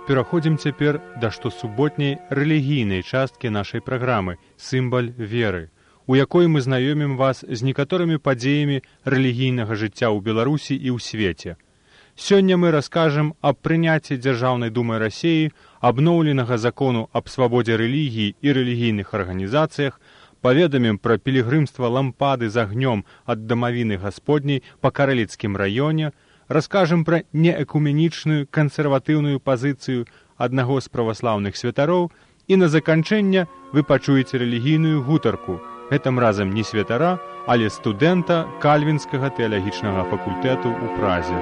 пераходзім цяпер да штосуботняй рэлігійнай часткі нашай праграмы «Сімбаль веры», у якой мы знаёмім вас з некаторымі падзеямі рэлігійнага жыцця ў Беларусі і ў свеце. Сёння мы раскажам аб прыняцці Дзяржаўнай думай Расіі абноўленага закону аб свабодзе рэлігіі і рэлігійных арганізацыях, паведамім пра пілігрымства лампады з агнём ад дамавіны Гасподняй па Карэліцкім раёне, раскажам пра неэкуменічную кансерватыўную пазіцыю аднаго з праваслаўных святароў і на заканчэнне вы пачуеце рэлігійную гутарку, гэтым разам не святара, але студэнта Кальвінскага тэалагічнага факультэту ў Празе.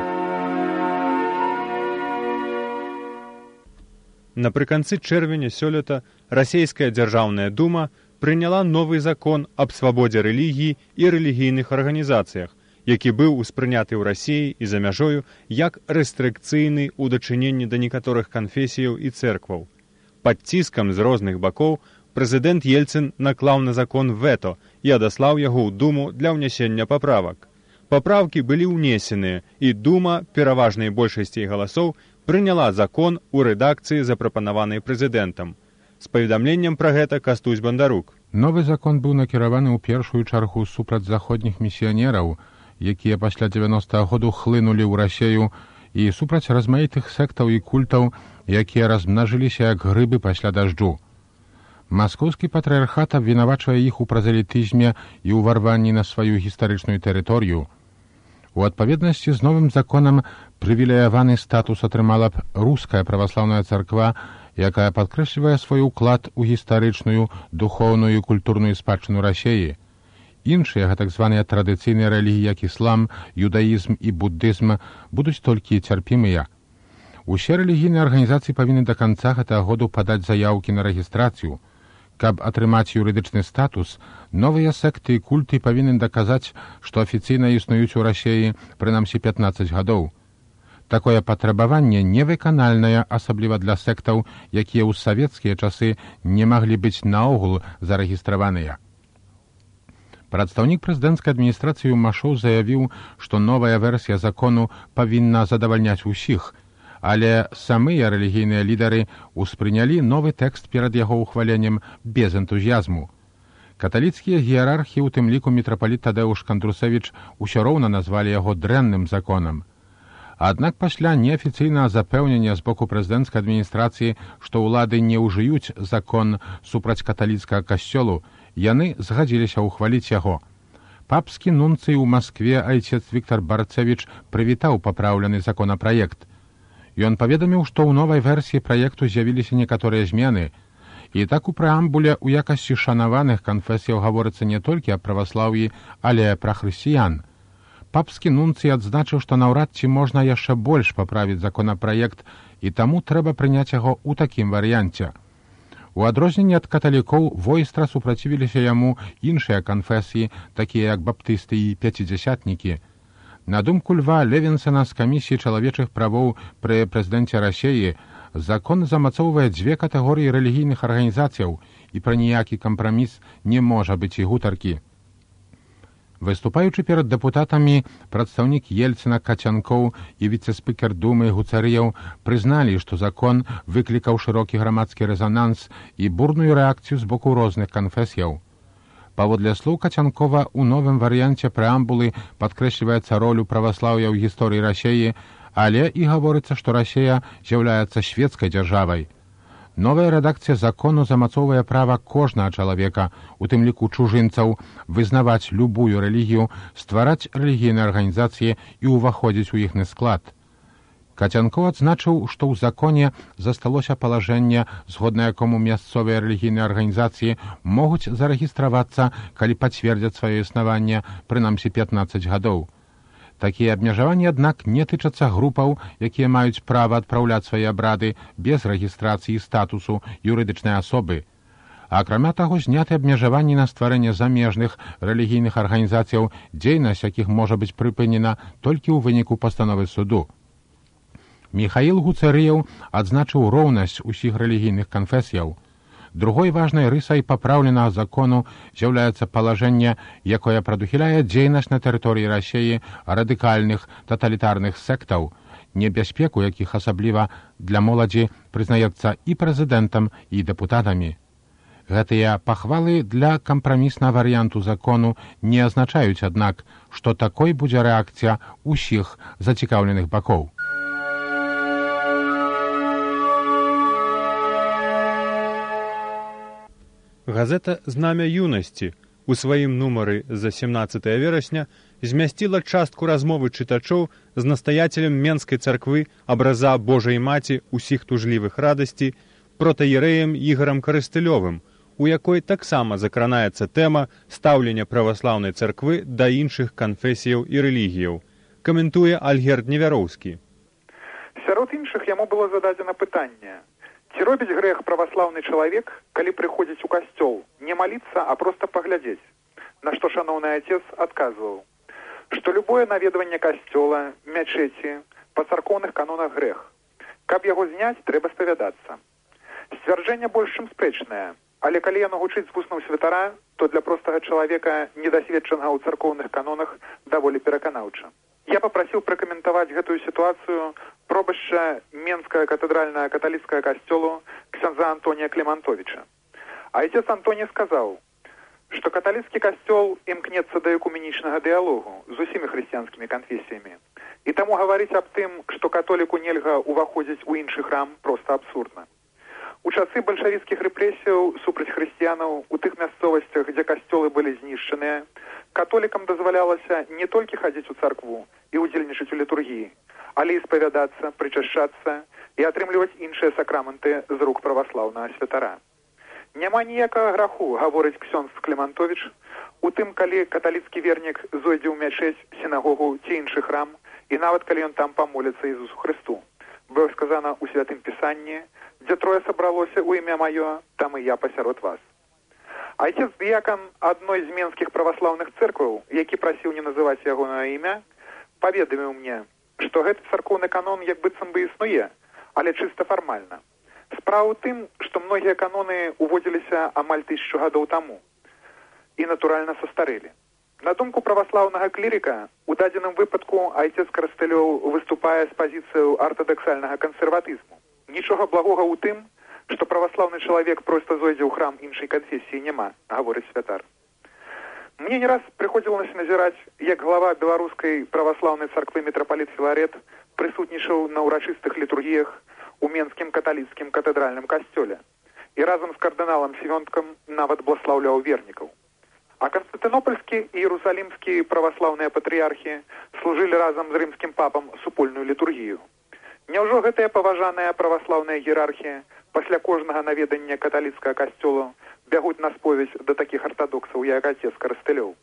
Напрыканцы чэрвеня сёлета Расійская дзяржаўная дума прыняла новы закон аб свабодзе рэлігіі і рэлігійных арганізацыях, які быў успрыняты ў Расіі і за мяжою як рэстрыкцыйны ў дачыненні да некаторых канфесіяў і цэркваў. Пад ціскам з розных бакоў прэзідэнт Ельцын наклаў на закон вето і адаслаў яго ў думу для ўнясення паправак. Паправкі былі ўнесеныя, і дума пераважнай большасцей галасоў прыняла закон у рэдакцыі, запрапанаванай прэзідэнтам. З паведамленнем пра гэта Кастусь Бандарук. Новы закон быў накіраваны ў першую чаргу супраць заходніх місіянераў, якія пасля 90-го году хлынулі ў Расію, і супраць размаітых сектаў і культаў, якія размнажыліся як грыбы пасля дажджу. Маскоўскі патрыархат абвінавачвае іх у празелітызме і ўварванні на сваю гістарычную тэрыторыю. У адпаведнасці з новым законам прывілеяваны статус атрымала б руская праваслаўная царква, якая падкрэслівае свой уклад у гістарычную, духоўную і культурную спадчыну Расіі. Іншыя, гэтак званыя традыцыйныя рэлігіі, як іслам, юдаізм і буддызм, будуць толькі цярпімыя. Усе рэлігійныя арганізацыі павінны да канца гэтага году падаць заяўкі на рэгістрацыю. Каб атрымаць юрыдычны статус, новыя секты і культы павінны даказаць, што афіцыйна існуюць у Расіі прынамсі 15 гадоў. Такое патрабаванне невыканальнае, асабліва для сектаў, якія ў савецкія часы не маглі быць наогул зарэгістраваныя. Прадстаўнік прэзідэнцкай адміністрацыі Машоў заявіў, што новая версія закону павінна задавальняць усіх, але самыя рэлігійныя лідары ўспрынялі новы тэкст перад яго ўхваленнем без энтузіязму. Каталіцкія іерархі, у тым ліку мітрапаліт Тадэуш Кандрусевіч, усё роўна назвалі яго дрэнным законам. Аднак пасля неафіцыйнага запэўнення з боку прэзідэнцкай адміністрацыі, што ўлады не ўжыюць закон супраць каталіцкага касцёлу, яны згадзіліся ўхваліць яго. Папскі нунцый у Маскве айцец Віктар Барцевіч прывітаў папраўлены законапраект. Ён паведаміў, што ў новай версіі праекту з'явіліся некаторыя змены, і так у прэамбуле ў якасці шанаваных канфесіяў гаворыцца не толькі аб праваслаўі, але пра хрысціян. Папскі нунцый адзначыў, што наўрад ці можна яшчэ больш паправіць законапраект, і таму трэба прыняць яго ў такім варыянце. У адрозненне ад каталікоў войстра супрацівіліся яму іншыя канфесіі, такія як баптысты і пяцідзясятнікі. На думку Льва Левінсена з камісіі чалавечых правоў пры прэзідэнце Расіі, закон замацоўвае дзве катэгорыі рэлігійных арганізацыяў, і пра ніякі кампраміс не можа быць і гутаркі. Выступаючы перад дэпутатамі, прадстаўнік Ельцына Кацянкоў і віцэ-спікер думы Гуцарыяў прызналі, што закон выклікаў шырокі грамадскі рэзананс і бурную рэакцыю з боку розных канфесіяў. Паводле слоў Кацянкова, у новым варыянце прэамбулы падкрэсліваецца ролю праваслаўя ў гісторыі Расіі, але і гаворыцца, што Расія з'яўляецца свецкай дзяржавай. Новая рэдакцыя закону замацоўвае права кожнага чалавека, у тым ліку чужынцаў, вызнаваць любую рэлігію, ствараць рэлігійныя арганізацыі і ўваходзіць у іхны склад. Кацянкоў адзначыў, што ў законе засталося палажэнне, згодна якому мясцовыя рэлігійныя арганізацыі могуць зарэгістравацца, калі пацвердзяць сваё існаванне, прынамсі 15 гадоў. Такія абмежаванні, аднак, не тычацца групаў, якія маюць права адпраўляць свае абрады без рэгістрацыі статусу юрыдычнай асобы. Акрамя таго, зняты абмежаванні на стварэнне замежных рэлігійных арганізацыяў, дзейнасць якіх можа быць прыпынена толькі ў выніку пастановы суду. Міхаіл Гуцарыяў адзначыў роўнасць усіх рэлігійных канфесіяў. Другой важнай рысай папраўленага закону з'яўляецца палажэнне, якое прадухіляе дзейнасць на тэрыторыі Расіі радыкальных таталітарных сектаў, небяспеку якіх асабліва для моладзі прызнаецца і прэзідэнтам, і дэпутатамі. Гэтыя пахвалы для кампраміснага варыянту закону не азначаюць, аднак, што такой будзе рэакцыя ўсіх зацікаўленых бакоў. Газета «Знамя юнасці» у сваім нумары за 17 верасня змясціла частку размовы чытачоў з настаяцелем Менскай царквы абраза Божай Маці ўсіх тужлівых радасці протаірэем Ігорам Карыстылёвым, у якой таксама закранаецца тэма стаўлення праваслаўнай царквы да іншых канфесіяў і рэлігіяў. Каментуе Альгерд Невяроўскі. Сярод іншых яму было зададзена пытанне: ці робіць грэх праваслаўны чалавек, калі прыходзіць у касцёл, не маліцца, а проста паглядзець? На што шаноўны отец адказваў, што любое наведванне касцёла, мячэці, па царкоўных канонах грэх. Каб яго зняць, трэба спавядацца. Сцвярджэнне больш чым спрэчнае, але калі яно гучыць з вуснаў святара, то для простага чалавека, недасведчанага ў царкоўных канонах, даволі пераканаўча. Я папрасіў пракаментаваць гэтую сітуацыю пробашча Менскага катэдральнага каталіцкага касцёлу ксяндза Антонія Клемантовича. А отец Антоний сказаў, што каталіцкі касцёл імкнецца да экуменічнага дыялогу з усімі хрысціянскімі канфесіямі. І таму гаварыць аб тым, што католіку нельга ўваходзіць у іншы храм, проста абсурдна. У часы бальшавіцкіх рэпрэсіяў супраць хрысціянаў у тых мясцовасцях, дзе касцёлы былі знішчаныя, католікам дазвалялася не толькі хадзіць у царкву і ўдзельнічаць у літургіі, але і спавядацца, прычашчацца і атрымліваць іншыя сакраменты з рук праваслаўнага святара. Няма ніякага граху, гаворыць ксёндз Клемантович, у тым, калі каталіцкі вернік зойдзе ў мячэць, сінагогу ці іншы храм, і нават калі ён там памоліцца Ісусу Хрысту. Бо сказана ў святым пісанні: дзе трое сабралося ў імя маё, там і я пасярод вас. Айцец дыякан адной з менскіх праваслаўных цэркваў, які прасіў не называць ягонае імя, паведаміў мне, што гэты царкоўны канон як быццам бы існуе, але чыста фармальна. Справа ў тым, што многія каноны уводзіліся амаль 1000 гадоў таму і, натуральна, састарэлі. На думку праваслаўнага клірыка, у дадзеным выпадку айцец Карыстылёў выступае з пазіцыяю артадаксальнага кансерватызму. Нічога благога ў тым, што праваслаўны чалавек проста зойдзе ў храм іншай канфесіі, няма, гаворыць святар. Мне не раз прыходзілася назіраць, як глава беларускай праваслаўнай царквы мітрапаліт Філарет прысутнічаў на ўрачыстых літургіях у Менскім каталіцкім катэдральным касцёле і разам з кардыналам Свёнткам нават бласлаўляў вернікаў. А канстантынопольскі і іерусалімскі праваслаўныя патрыярхі служылі разам з рымскім папам супольную літургію. Няўжо гэтая паважаная праваслаўная іерархія пасля кожнага наведання каталіцкага касцёла бягуць на споведь да такіх артадоксаў, як отец Карыстылёў?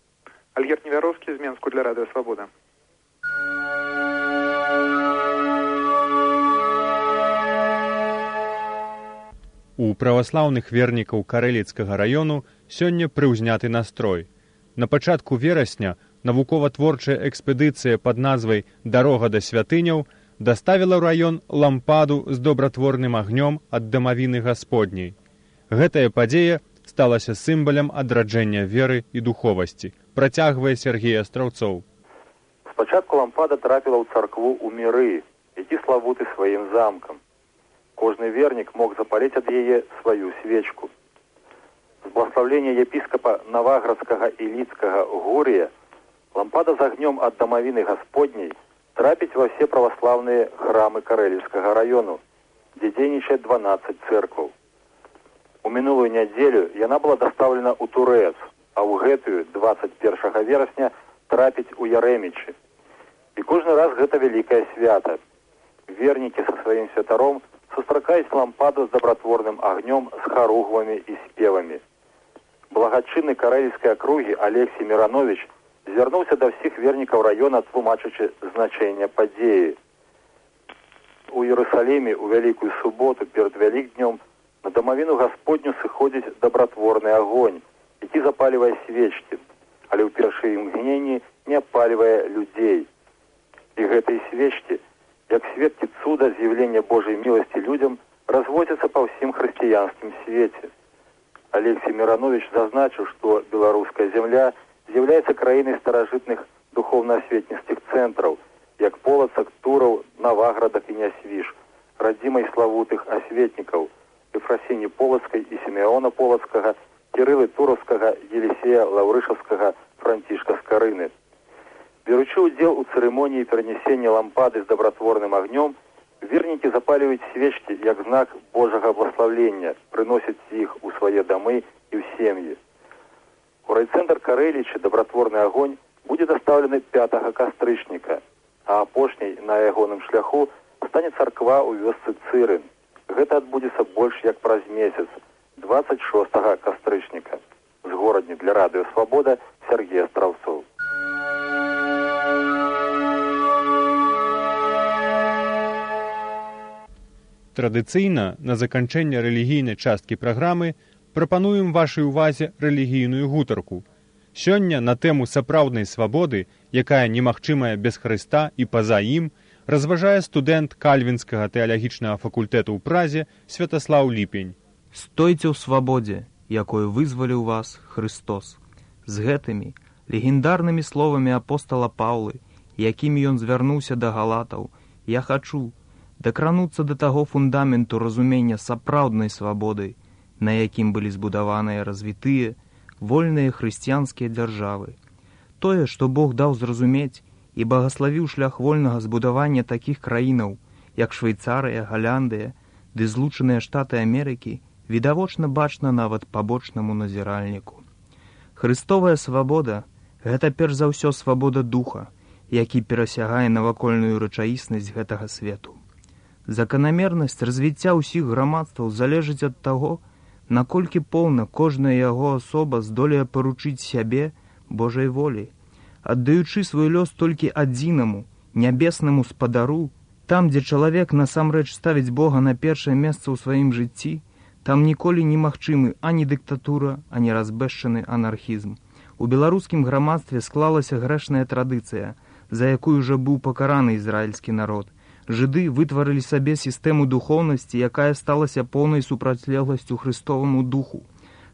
Альгерд Невяроўскі з Менску для Радыё Свабода. У праваслаўных вернікаў Карэліцкага раёну сёння прыўзняты настрой. На пачатку верасня навукова-творчая экспедыцыя пад назвай «Дарога да святыняў» даставіла ў раён лампаду з добратворным агнём ад дамавіны Гасподняй. Гэтая падзея сталася сімвалам адраджэння веры і духовасці, працягвае Сергей Астраўцоў. Спачатку лампада трапіла ў царкву ў Міры, які славуты сваім замкам. Кожны вернік мог запаліць ад яе сваю свечку. З благословлення епіскапа Наваградскага і Ліцкага Гурія лампада з агнём ад дамавіны Гасподняй трапіць ва все праваслаўныя храмы Карэліўскага раёну, дзе дзейнічае 12 цэркваў. У мінулую нядзелю яна была дастаўлена ў Турэц, а ў гэтую 21 верасня трапіць у Ярэмічы. І кожны раз гэта вялікае свята. Вернікі са сваім святаром сустракаюць лампаду з добратворным агнём, з харугвамі і спевамі. Благачынны карэльскай акругі Алексій Міранович звярнуўся да ўсіх вернікаў раёна, тлумачачы значэнне падзеі. У Іерусаліме ў Вялікую суботу перад Вялікднём на дамавіну Гасподню сыходзіць добратворны агонь, які запалівае свечкі, але ў першыя імгненні не апалівае людзей. І гэтай свечкі, як сведкі цуда з'яўлення Божай міласці людзям, разводзяцца па ўсім хрысціянскім свеце. Алексій Міранович зазначыў, што беларуская зямля з'яўляецца краінай старажытных духоўна-асветніцкіх цэнтраў, як Полацак, Тураў, Наваградак і Нясвіж, радзімай славутых асветнікаў Ефрасіні Полацкай і Сімеона Полацкага, Кірылы Тураўскага, Елісея Лаўрышаўскага, Францішка Скарыны. Беручы ўдзел у цырымоніі перанясення лампады з дабратворным агнём, вернікі запаліваюць свечкі як знак Божага благословення, прыносяць іх у свае дамы і ў сем'і. У райцэнтр Карэлічы дабратворны агонь будзе дастаўлены 5 кастрычніка, а апошняй на ягоным шляху стане царква ў вёсцы Цырын. Гэта адбудзецца больш як праз месяц, 26 кастрычніка. З горадні для радыё «Свабода» Сергей Астраўцоў. Традыцыйна на заканчэнне рэлігійнай часткі праграмы прапануем вашай увазе рэлігійную гутарку. Сёння на тэму сапраўднай свабоды, якая немагчымая без Хрыста і па-за ім, разважае студэнт Кальвінскага тэалагічнага факультэту ў Празе Святаслаў Ліпень. «Стойце ў свабодзе, якою вызваліў вас Хрыстос». З гэтымі легендарнымі словамі апостала Паўлы, якімі ён звярнуўся да галатаў, я хачу дакрануцца да таго фундаменту разумення сапраўднай свабоды, на якім былі збудаваныя развітыя, вольныя хрысціянскія дзяржавы. Тое, што Бог даў зразумець і багаславіў шлях вольнага збудавання такіх краінаў, як Швейцарыя, Галяндыя ды Злучаныя Штаты Амерыкі, відавочна бачна нават пабочнаму назіральніку. Хрыстовая свабода – гэта перш за ўсё свабода духа, які перасягае навакольную рэчаіснасць гэтага свету. Заканамернасць развіцця ўсіх грамадстваў залежыць ад таго, наколькі поўна кожная яго асоба здолее паручыць сябе Божай волі, аддаючы свой лёс толькі адзінаму, нябеснаму спадару. Там, дзе чалавек насамрэч ставіць Бога на першае месца ў сваім жыцці, там ніколі немагчымы ані дыктатура, ані разбэшчаны анархізм. У беларускім грамадстве склалася грэшная традыцыя, за якую ўжо быў пакараны ізраільскі народ. Жыды вытварылі сабе сістэму духоўнасці, якая сталася поўнай супрацьлегласцю Хрыстоваму духу.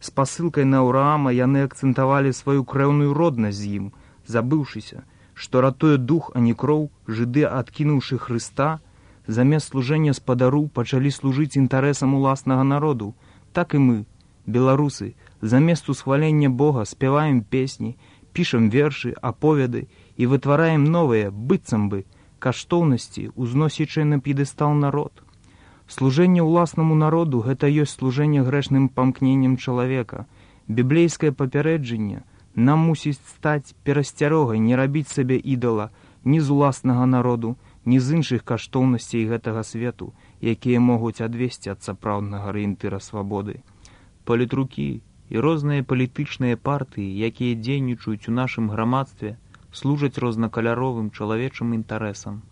З пасылкай на Аўраама яны акцэнтавалі сваю крэўную роднасць з ім, забыўшыся, што ратуе дух, а не кроў, жыды, адкінуўшы Хрыста, замест служэння спадару пачалі служыць інтарэсам уласнага народу. Так і мы, беларусы, замест усхвалення Бога спяваем песні, пішам вершы, аповеды і вытвараем новыя, быццам бы, каштоўнасці, узносячы на п'едэстал народ. Служэнне ўласнаму народу – гэта ёсць служэнне грэшным памкненнем чалавека. Біблейскае папярэджанне нам мусіць стаць перасцярогай не рабіць сабе ідала ні з уласнага народу, ні з іншых каштоўнасцей гэтага свету, якія могуць адвесці ад сапраўднага арыентыра свабоды. Палітрукі і розныя палітычныя партыі, якія дзейнічаюць у нашым грамадстве, служаць рознакаляровым чалавечым інтарэсам.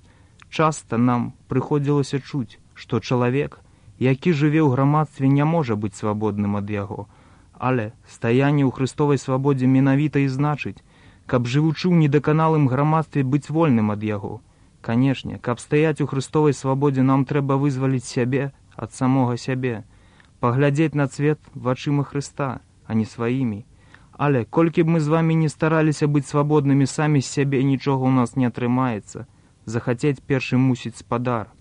Часта нам прыходзілася чуць, што чалавек, які жыве ў грамадстве, не можа быць свабодным ад яго. Але стаянне ў Хрыстовай свабодзе менавіта і значыць, каб жывучы ў недаканалым грамадстве быць вольным ад яго. Канешне, каб стаяць у Хрыстовай свабодзе, нам трэба вызваліць сябе ад самога сябе, паглядзець на свет вачыма Хрыста, а не сваімі. Але колькі б мы з вамі не стараліся быць свабоднымі самі з сябе, нічога ў нас не атрымаецца. Захацець першым мусіць спадар.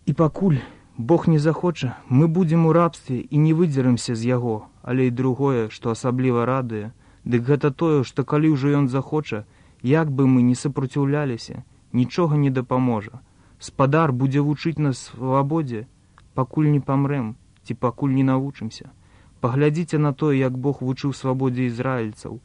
І пакуль Бог не захоча, мы будзем у рабстве і не выдзерамся з яго. Але і другое, што асабліва радуе, дык гэта тое, што калі ўжо ён захоча, як бы мы не супраціўляліся, нічога не дапаможа. Спадар будзе вучыць нас свабодзе, пакуль не памрэм, ці пакуль не навучымся. Паглядзіце на тое, як Бог вучыў свабодзе ізраільцаў.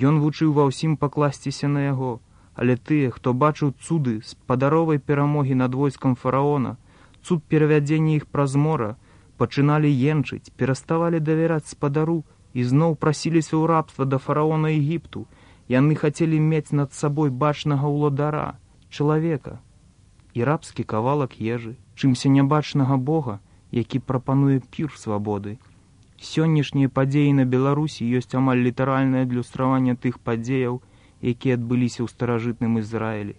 Ён вучыў ва ўсім пакласціся на яго. Але тыя, хто бачыў цуды спадаровай перамогі над войскам фараона, цуд перавядзення іх праз мора, пачыналі енчыць, пераставалі давяраць спадару і зноў прасіліся ў рабства да фараона Егіпту. Яны хацелі мець над сабой бачнага ўладара, чалавека, і рабскі кавалак ежы, чымся нябачнага Бога, які прапануе пір свабоды. Сённяшнія падзеі на Беларусі ёсць амаль літаральнае адлюстраванне тых падзеяў, якія адбыліся ў старажытным Ізраілі.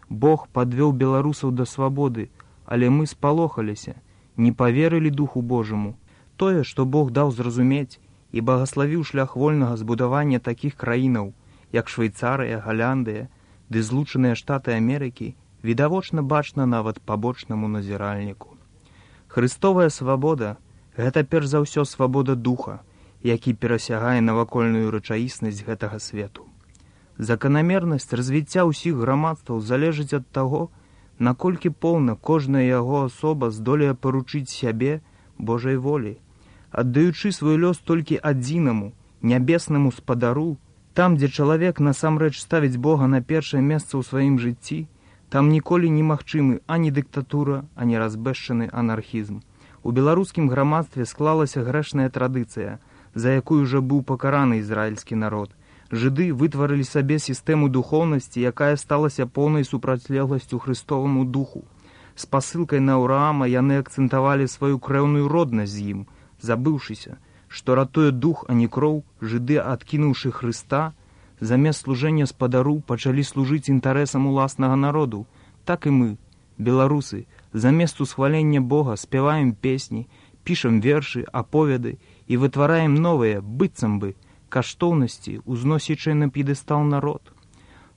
Бог падвёў беларусаў да свабоды, але мы спалохаліся, не паверылі Духу Божаму. Тое, што Бог даў зразумець і багаславіў шлях вольнага збудавання такіх краінаў, як Швейцарыя, Галяндыя ды Злучаныя Штаты Амерыкі, відавочна бачна нават пабочнаму назіральніку. Христовая свабода – гэта перш за ўсё свабода духа, які перасягае навакольную рэчаіснасць гэтага свету. Заканамернасць развіцця ўсіх грамадстваў залежыць ад таго, наколькі поўна кожная яго асоба здолее паручыць сябе Божай волі, аддаючы свой лёс толькі адзінаму, нябеснаму спадару. Там, дзе чалавек насамрэч ставіць Бога на першае месца ў сваім жыцці, там ніколі немагчымы ані дыктатура, ані разбэшчаны анархізм. У беларускім грамадстве склалася грэшная традыцыя, за якую ўжо быў пакараны ізраільскі народ. Жыды вытварылі сабе сістэму духоўнасці, якая сталася поўнай супрацьлегласцю Христоваму духу. З пасылкай на Аўраама яны акцэнтавалі сваю крэўную роднасць з ім, забыўшыся, што ратуе дух, а не кроў, жыды, адкінуўшы Хрыста, замест служэння спадару пачалі служыць інтарэсам уласнага народу. Так і мы, беларусы, замест усхвалення Бога спяваем песні, пішам вершы, аповеды і вытвараем новыя, быццам бы, каштоўнасці, узносячыя на п'едэстал народ.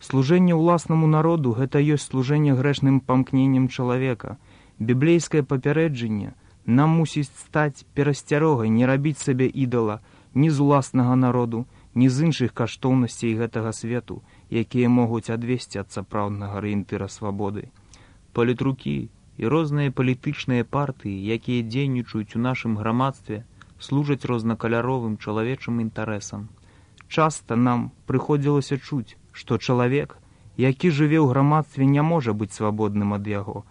Служэнне ўласнаму народу – гэта ёсць служэнне грэшным памкненнем чалавека. Біблейскае папярэджанне нам мусіць стаць перасцярогай не рабіць сабе ідала ні з уласнага народу, ні з іншых каштоўнасцей гэтага свету, якія могуць адвесці ад сапраўднага арыентыра свабоды. Палітрукі і розныя палітычныя партыі, якія дзейнічаюць у нашым грамадстве, служаць рознакаляровым чалавечым інтарэсам. Часта нам прыходзілася чуць, што чалавек, які жыве ў грамадстве, не можа быць свабодным ад яго.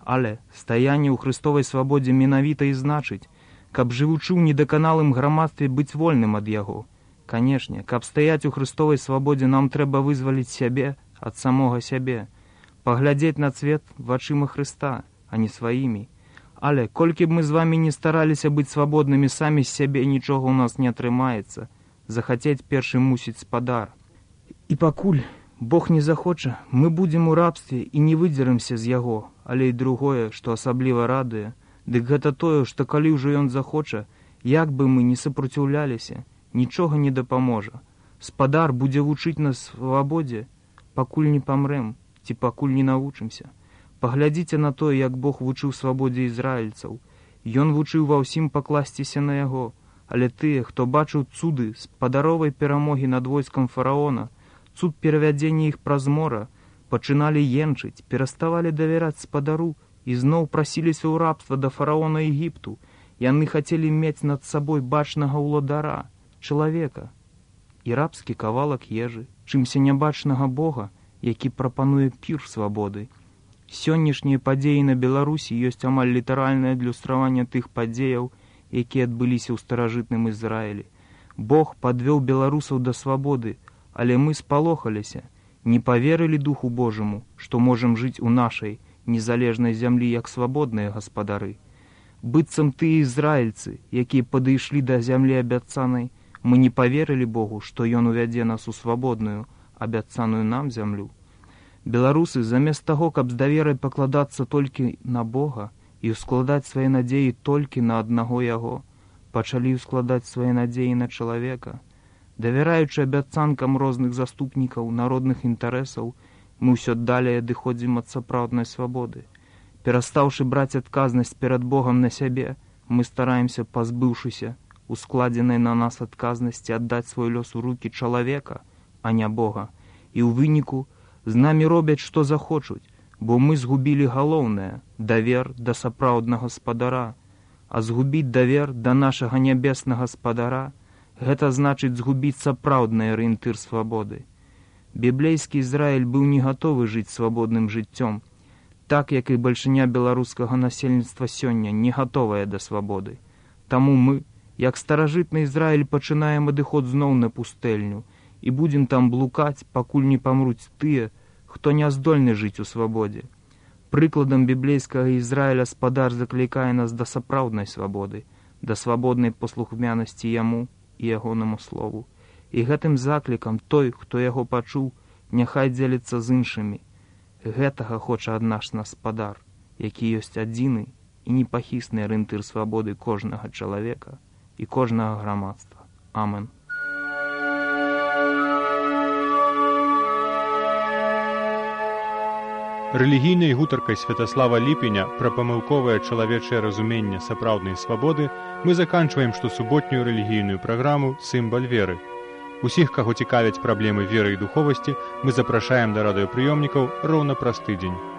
Але стаянне ў Христовай свабодзе менавіта і значыць, каб жывучы ў недаканалым грамадстве быць вольным ад яго. Канешне, каб стаяць у Христовай свабодзе, нам трэба вызваліць сябе ад самога сябе, паглядзець на свет вачыма Хрыста, а не сваімі. Але колькі б мы з вамі не стараліся быць свабоднымі самі з сябе, нічога ў нас не атрымаецца. Захацець першы мусіць спадар. І пакуль Бог не захоча, мы будзем у рабстве і не выдзерамся з яго. Але і другое, што асабліва радуе, дык гэта тое, што калі ўжо ён захоча, як бы мы не супраціўляліся, нічога не дапаможа. Спадар будзе вучыць нас свабодзе, пакуль не памрэм, ці пакуль не навучымся. Паглядзіце на тое, як Бог вучыў свабодзе ізраільцаў. Ён вучыў ва ўсім пакласціся на яго, але тыя, хто бачыў цуды спадаровай перамогі над войскам фараона, цуд перавядзення іх праз мора, пачыналі енчыць, пераставалі давяраць спадару і зноў прасіліся ў рабства да фараона Егіпту. Яны хацелі мець над сабой бачнага ўладара, чалавека, і рабскі кавалак ежы, чымся нябачнага Бога, які прапануе пір свабоды. Сённяшнія падзеі на Беларусі ёсць амаль літаральнае адлюстраванне тых падзеяў, якія адбыліся ў старажытным Ізраілі. Бог падвёў беларусаў да свабоды, але мы спалохаліся, не паверылі Духу Божаму, што можам жыць у нашай незалежнай зямлі як свабодныя гаспадары. Быццам тыя ізраільцы, якія падышлі да зямлі абяцанай, мы не паверылі Богу, што Ён увядзе нас у свабодную, абяцаную нам зямлю. Беларусы, замест таго, каб з даверай пакладацца толькі на Бога і ўскладаць свае надзеі толькі на аднаго Яго, пачалі ўскладаць свае надзеі на чалавека. Давяраючы абяцанкам розных заступнікаў народных інтарэсаў, мы ўсё далей адыходзім ад сапраўднай свабоды. Перастаўшы браць адказнасць перад Богам на сябе, мы стараемся, пазбыўшыся ускладзенай на нас адказнасці, аддаць свой лёс у рукі чалавека, а не Бога. І ў выніку з намі робяць, што захочуць, бо мы згубілі галоўнае – давер да сапраўднага спадара. А згубіць давер да нашага нябеснага спадара – гэта значыць згубіць сапраўдны арыентыр свабоды. Біблейскі Ізраіль быў не гатовы жыць свабодным жыццём, так як і бальшыня беларускага насельніцтва сёння не гатовая да свабоды. Таму мы, як старажытны Ізраіль, пачынаем адыход зноў на пустэльню і будзем там блукаць, пакуль не памруць тыя, хто не здольны жыць у свабодзе. Прыкладам біблейскага Ізраіля спадар заклікае нас да сапраўднай свабоды, да свабоднай паслухмянасці яму і ягонаму слову. І гэтым заклікам той, хто яго пачуў, няхай дзеліцца з іншымі. Гэтага хоча ад нас спадар, які ёсць адзіны і непахісны арыентыр свабоды кожнага чалавека і кожнага грамадства. Амен. Рэлігійнай гутаркай Святаслава Ліпеня пра памылковае чалавечае разуменне сапраўднай свабоды мы заканчваем штосуботнюю рэлігійную праграму «Сімбаль веры». Усіх, каго цікавяць праблемы веры і духовасці, мы запрашаем да радыёпрыёмнікаў роўна праз тыдзень.